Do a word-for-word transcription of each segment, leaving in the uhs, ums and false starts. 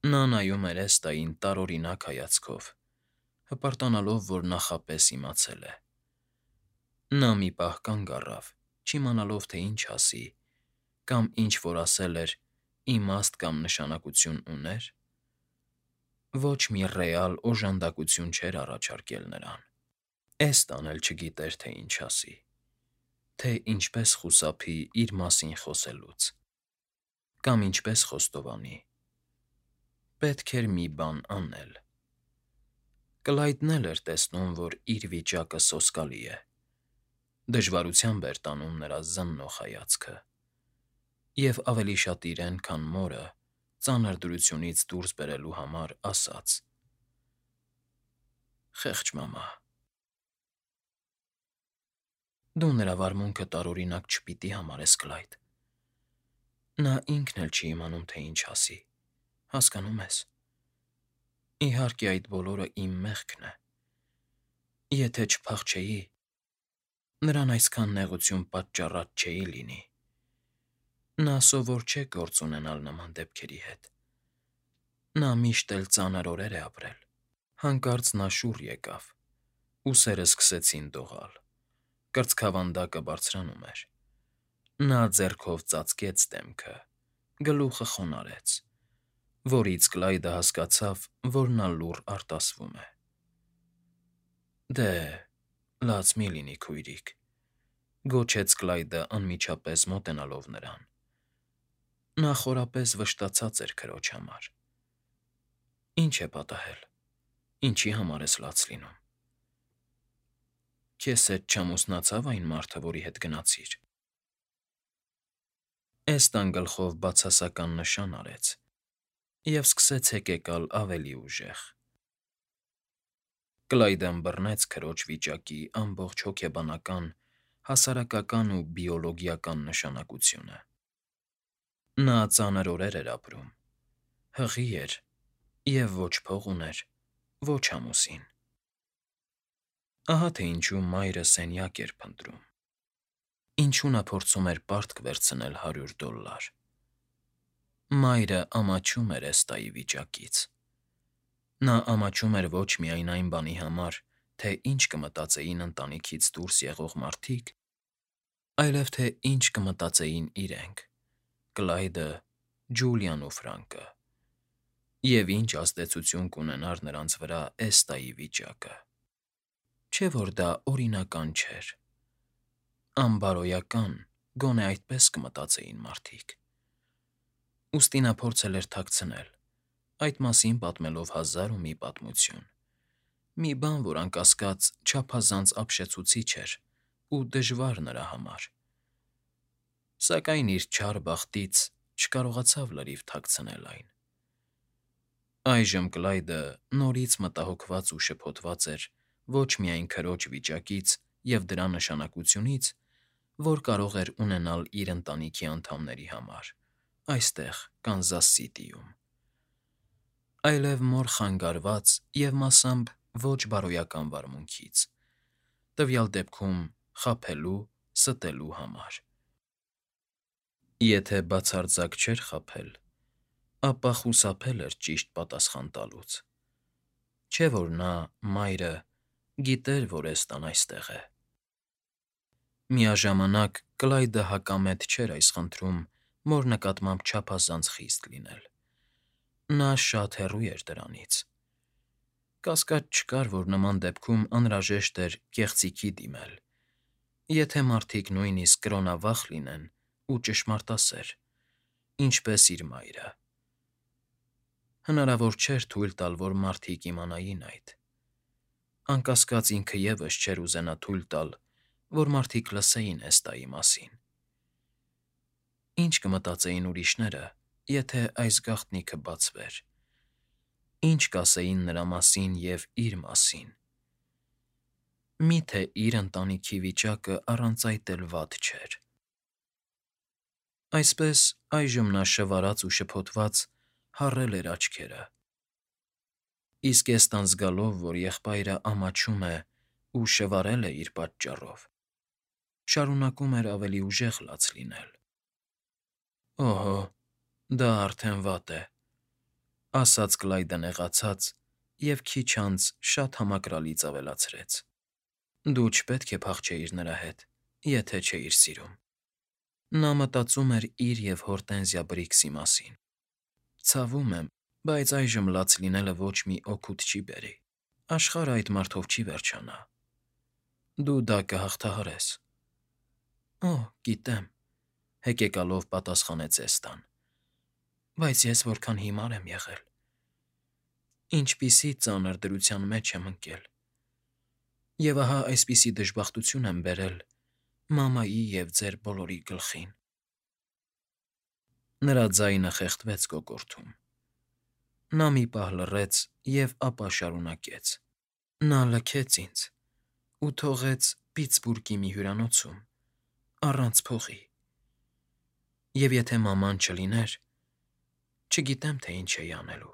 Նա նայում էր Էստային տարօրինակ հայացքով, հպարտանալով, որ նախապես իմացել է։ Նա մի պահ կանգ առավ, չիմանալով, թե ինչ ասի, կամ ինչ որ ասել էր, իմաստ կամ նշանակություն ուներ։ Ոչ մի ռեալ օժանդակություն չէր առաջարկել նրան։ Էստան էլ չգիտեր, թե ինչ ասի, թե ինչպես խուսափի իր մասին խոսելուց, կամ ինչպես խոստովանի։ Պետք էր մի բան անել։ Կլայդն էլ էր տեսնում, որ իր վիճակը սոսկալի է։ Դժվարությամբ էր տանում նրա զննող հայացքը, և ավելի շատ իրեն, քան մորը, ծանր դրությունից դուրս բերելու համար ասաց. «Խեղճ մամա, դու նրա վարմունքը տարօրինակ չպիտի համարես, Կլայդ։ Նա ինքն էլ չի իմանում, թե ինչ ասի, հասկանո՞ւմ ես։ Իհարկե, այդ բոլորը իմ մեղքն է։ Եթե չփախչեի, նրան այսքան նեղություն պատճառած չէի լինի։ Նա սովոր չէ գործ ունենալ նման դեպքերի հետ։ Նա միշտ էլ ծանր օրեր է ապրել»։ Հանկարծ նա շուռ եկավ, ուսերը սկսեցին դողալ, կրծքավանդակը բարձրանում էր։ Նա ձեռքով ծածկեց դեմքը, գլուխը խոնարհեց, որից Կլայդը հասկացավ, որ նա լուռ արտասվում է։ «Դե, լաց մի՛ լինի, քույրիկ», գոչեց Կլայդը անմիջապես մոտենալով նրան։ Նա խորապես վշտացած էր քրոջ համար։ «Ինչ է պատահել, ինչի համար ես լաց լինում։ Քեզ հետ չամուսնացա՞վ այն մարդը, որի հետ գնացիր»։ Էստան գլխով բացասական նշան արեց և սկսեց հեկեկալ ավելի ուժեղ։ Կլայդը ըմբռնեց քրոջ վիճակի ամբողջ հոգեբանական, հասարակական ու բիոլոգիական նշանակությունը։ Նա ծանր օրեր էր ապրում, հղի էր և ոչ փող ուներ, ոչ ամուսին։ Ահա թե ինչու մայրը սենյակ էր փնտրում, ինչու նա փորձում էր պարտք վերցնել հարյուր դոլլար։ Մայրը ամաչում էր Էստայի վիճակից։ Նա ամաչում էր ոչ միայն այն բանի համար, թե ինչ կմտածեին ընտանիքից դուրս եղող մարդիկ, այլև թե ինչ կմտածեին իրենք՝ Կլայդը, Ջուլիան ու Ֆրանկը, և ինչ ազդեցություն կունենար նրանց վրա Էստայի վիճակը։ Չէ՞ որ դա օրինական չէր։ Անբարոյական, գոնե այդպես կմտածեին մարդիկ։ Ուստի նա փորձել էր թաքցնել, այդ մասին պատմելով հազար ու մի պատմություն։ Մի բան, որ անկասկած չափազանց ապշեցուցիչ էր ու դժվար նրա համար։ Սակայն իր չար բախտից չկարողացավ լրիվ թաքցնել այն։ Այժմ Կլայդը նորից մտահոգված ու շփոթված էր ոչ միայն քրոջ վիճակից և դրա նշանակությունից, որ կարող էր ունենալ իր ընտանիքի անդամների համար այստեղ, Կանզաս Սիթիում, այլև մոր խանգարված և մասամբ ոչ բարոյական վարմունքից, տվյալ դեպքում խաբելու, ստելու համար։ Եթե բացարձակ չէր խաբել, ապա խուսափել էր ճիշտ պատասխան տալուց։ Չէ՞ որ նա, մայրը, գիտեր, որ Էստան այստեղ է։ Միաժամանակ Կլայդը հակամետ չէր այս խնդրում մոր նկատմամբ չափազանց խիստ լինել։ Նա շատ հեռու էր դրանից։ Կասկած չկար, որ նման դեպքում անհրաժեշտ էր կեղծիքի դիմել, եթե մարդիկ նույնիսկ կրոնավախ լինեն ու ճշմարտասեր, ինչպես իր մայրը։ Հնարավոր չէր թույլ տալ, որ մարդիկ իմանային այդ։ Անկասկած ինքը ևս չէր ուզենա թույլ տալ, որ մարդիկ լսեին Էստայի մասին։ Ինչ կմտածեին ուրիշները, եթե այս գաղտնիքը բացվեր։ Ինչ կասեին նրա մասին և իր մասին։ Մի՞թե իր ընտանիքի վիճակը առանց այդ էլ վատ չէր։ Այսպես, այժմ նա շվարած ու շփոթված հառել էր աչքերը։ Իսկ Էստան զգալով, որ եղբայրը ամաչում է ու շվարել է իր պատճառով, շարունակում էր ավելի ուժեղ լաց լինել։ «Օհո, դա արդեն վատ է։ ասաց Կլայդը նեղացած և քիչ անց շատ համակրալից ավելացրեց. Դու չպետք է փախչեիր նրա հետ, եթե չէիր սիրում։ Նա մտածում էր իր և Հորտենզիա Բրիքսի մասին։ Ցավում եմ, բայց այժմ լաց լինելը ոչ մի օգուտ չի բերի։ Աշխարհը այդ մարդով չի վերջանա։ Դու դա կհաղթահարես։ Օ, գիտեմ, հեկեկալով պատասխանեց Էստան։ Բայց ես որքան հիմար եմ եղել։ Ինչպիսի ծանր դրության մեջ եմ ընկել։ Եվ ահա այսպիսի դժբախտություն եմ բերել մամայի և ձեր բոլորի գլխին։ Նրա ձայնը խեղդվեց կոկորդում։ Նա մի պահ լռեց և ապա շարունակեց. Նա լքեց ինձ ու թողեց Պիտսբուրգի մի հյուրանոցում, առանց փողի։ Եվ եթե մաման չլիներ, չգիտեմ, թե ինչ էի անելու։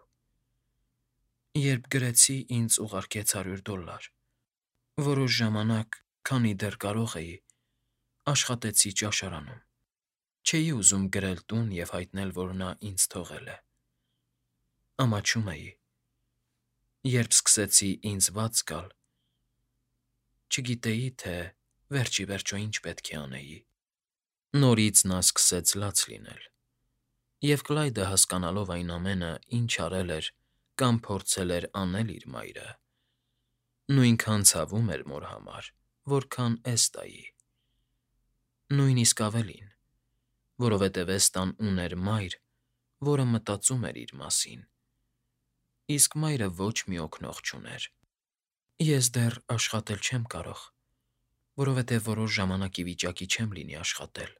Երբ գրեցի, ինձ ուղարկեց հարյուր դոլար։ Որոշ ժամանակ, քանի դեռ կարող էի, աշխատեցի ճաշարանում։ Չէի ուզում գրել տուն և հայտնել, որ նա ինձ թողել է։ Ամաչում էի։ Երբ սկսեցի ինձ վատ զգալ, չգիտեի, թե վերջ ի վերջո ինչ պետք է անեի։ Նորից նա սկսեց լաց լինել։ Եվ Կլայդը, հասկանալով այն ամենը, ինչ արել էր կամ փորձել էր անել իր մայրը, նույնքան ցավում էր մոր համար, որքան Էստայի։ Նույնիսկ ավելին, որովհետև Էստան ուներ մայր, որը մտածում էր իր մասին, իսկ մայրը ոչ մի օգնող չուներ։ Ես դեռ աշխատել չեմ կարող, որովհետև որոշ ժամանակ ի վիճակի չեմ լինի աշխատել,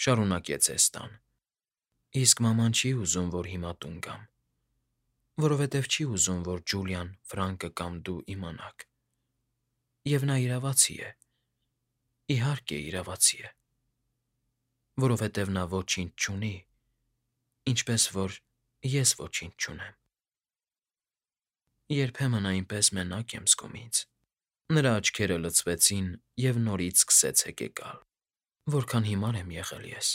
շարունակեց Էստան։ Իսկ մաման չի ուզում, որ հիմա տուն գամ, որովհետև չի ուզում, որ Ջուլիան, Ֆրանկը կամ դու իմանաք։ Եվ նա իրավացի է, իհարկե իրավացի է, որովհետև նա ոչինչ չունի, ինչպես որ ես ոչինչ չունեմ։ Երբեմն այնպես մենակ եմ զգում ինձ։ Նրա աչքերը լցվեցին և նորից սկսեց հեկեկալ։ Որքան հիմար եմ եղել ես։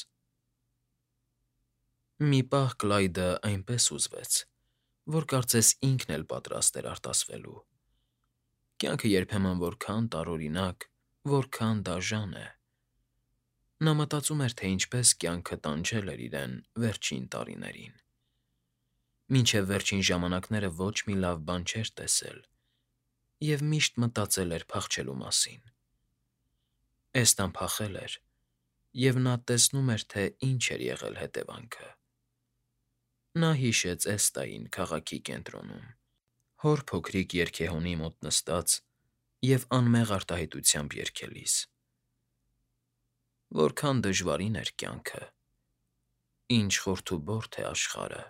Մի պահ Կլայդը այնպես հուզվեց, որ կարծես ինքն էլ պատրաստ էր արտասվելու։ Կյանքը երբեմն որքան տարօրինակ, որքան դաժան է։ Նա մտածում էր, թե ինչպես կյանքը տանջել էր իրեն վերջին տարիներին։ Մինչև վերջին ժամանակները ոչ մի լավ բան չէր տեսել և միշտ մտածել էր փախչելու մասին։ Էստան փախել էր, և նա տեսնում էր, թե ինչ էր եղել հետևանքը։ Նա հիշեց Էստային քաղաքի կենտրոնում, հոր փոքրիկ երգեհոնի մոտ նստած և անմեղ արտահայտությամբ երգելիս։ Որքան դժվարին էր կյանքը, ինչ խորթուբորթ է աշխարհը,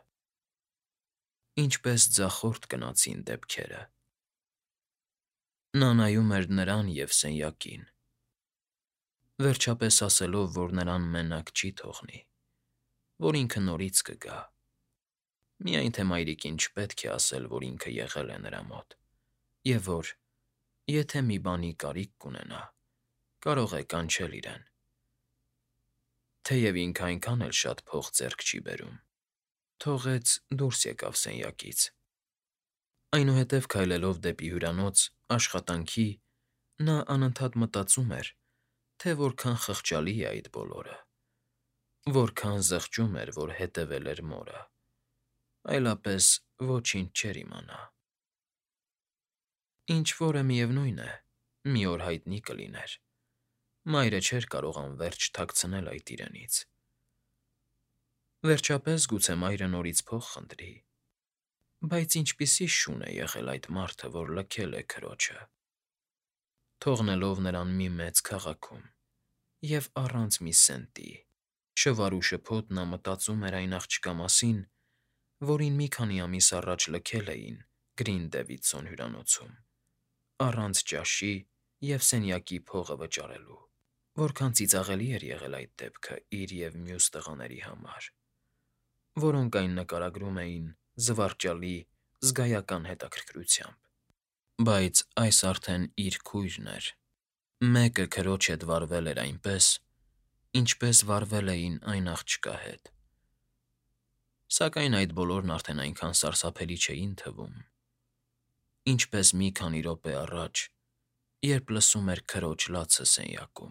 ինչպես ձախորդ գնացին դեպքերը։ Նա նայում էր նրան և սենյակին, վերջապես ասելով, որ նրան մենակ չի թողնի, որ ինքը նորից կգա։ Միայն թե մայրիկին չպետք է ասել, որ ինքը եղել է նրա մոտ, և որ, եթե մի բանի կարիք կունենա, կարող է կանչել իրեն։ Թեև ինքը այնքան էլ շատ փող ձեռք չի բերում։ Թողեց դուրս եկավ սենյակից։ Այնուհետև քայլելով դեպի հյուրանոց, աշխատանքի, նա անընդհատ մտածում էր, թե որքան խղճալի է այդ բոլորը, որքան զղջում էր, որ հետևել էր մորը, այլապես ոչինչ չէր իմանա։ Ինչ֊որը, միևնույն է, մի օր հայտնի կլիներ։ Մայրը չէր կարող անվերջ թաքցնել այդ իրենից։ Վերջապես գուցե մայրը նորից փող խնդրի։ Բայց ինչպիսի շուն է եղել այդ մարդը, որ լքել է քրոջը, թողնելով նրան մի մեծ քաղաքում և առանց մի սենտի։ Շվարուշփոթ նա մտածում էր այն աղջկա մասին, որին մի քանի ամիս առաջ լքել էին Գրին Դեվիդսոն հյուրանոցում, առանց ճաշի և սենյակի փողը վճարելու։ Որքան ծիծաղելի էր եղել այդ դեպքը իր և մյուս տղաների համար, որոնք այն նկարագրում էին զվարճալի, զգայական հետաքրքրությամբ։ Բայց այս արդեն իր քույրն էր։ Մեկը քրոջ հետ վարվել էր այնպես, ինչպես վարվել էին այն աղջկա հետ։ Սակայն այդ բոլորն արդեն այնքան սարսափելի չէին թվում, ինչպես մի քանի րոպե առաջ, երբ լսում էր քրոջ լացը սենյակում։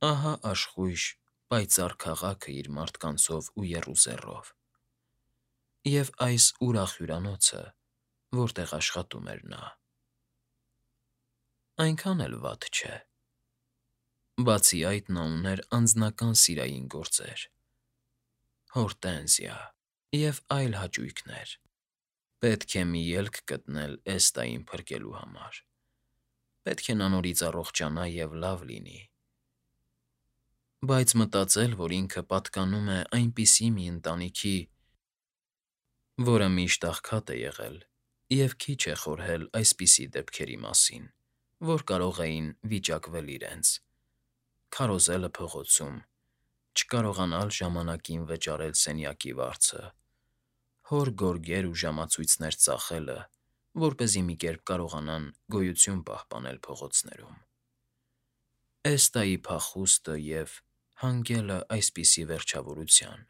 Ահա աշխույժ, պայծառ քաղաքը իր մարդկանցով ու եռուզեռով, և այս ուրախ հյուրանոցը, որտեղ աշխատում էր նա։ Այնքան էլ վատ չէ։ Բացի այդ, նա ուներ անձնական սիրային գործեր, հորտենզիա և այլ հաճույքներ։ Պետք է մի ելք գտնել Էստային փրկելու համար։ Պետք է նա նորից առողջանա և լավ լինի։ Բայց մտածել, որ ինքը պատկանում է այնպիսի մի ընտանիքի, որը միշտ աղքատ է եղել և քիչ է խորհել այսպիսի դեպքերի մասին, որ կարող էին վիճակվել իրենց, քարոզելը փողոցում, չկարողանալ ժամանակին վճարել սենյակի վարձը, հոր գորգեր ու ժամացույցներ ծախելը, որպեսզի մի կերպ կարողանան գոյություն պահպանել փողոցներում։ Էստայի փախուստը և հանգելը այսպիսի վերջավորության,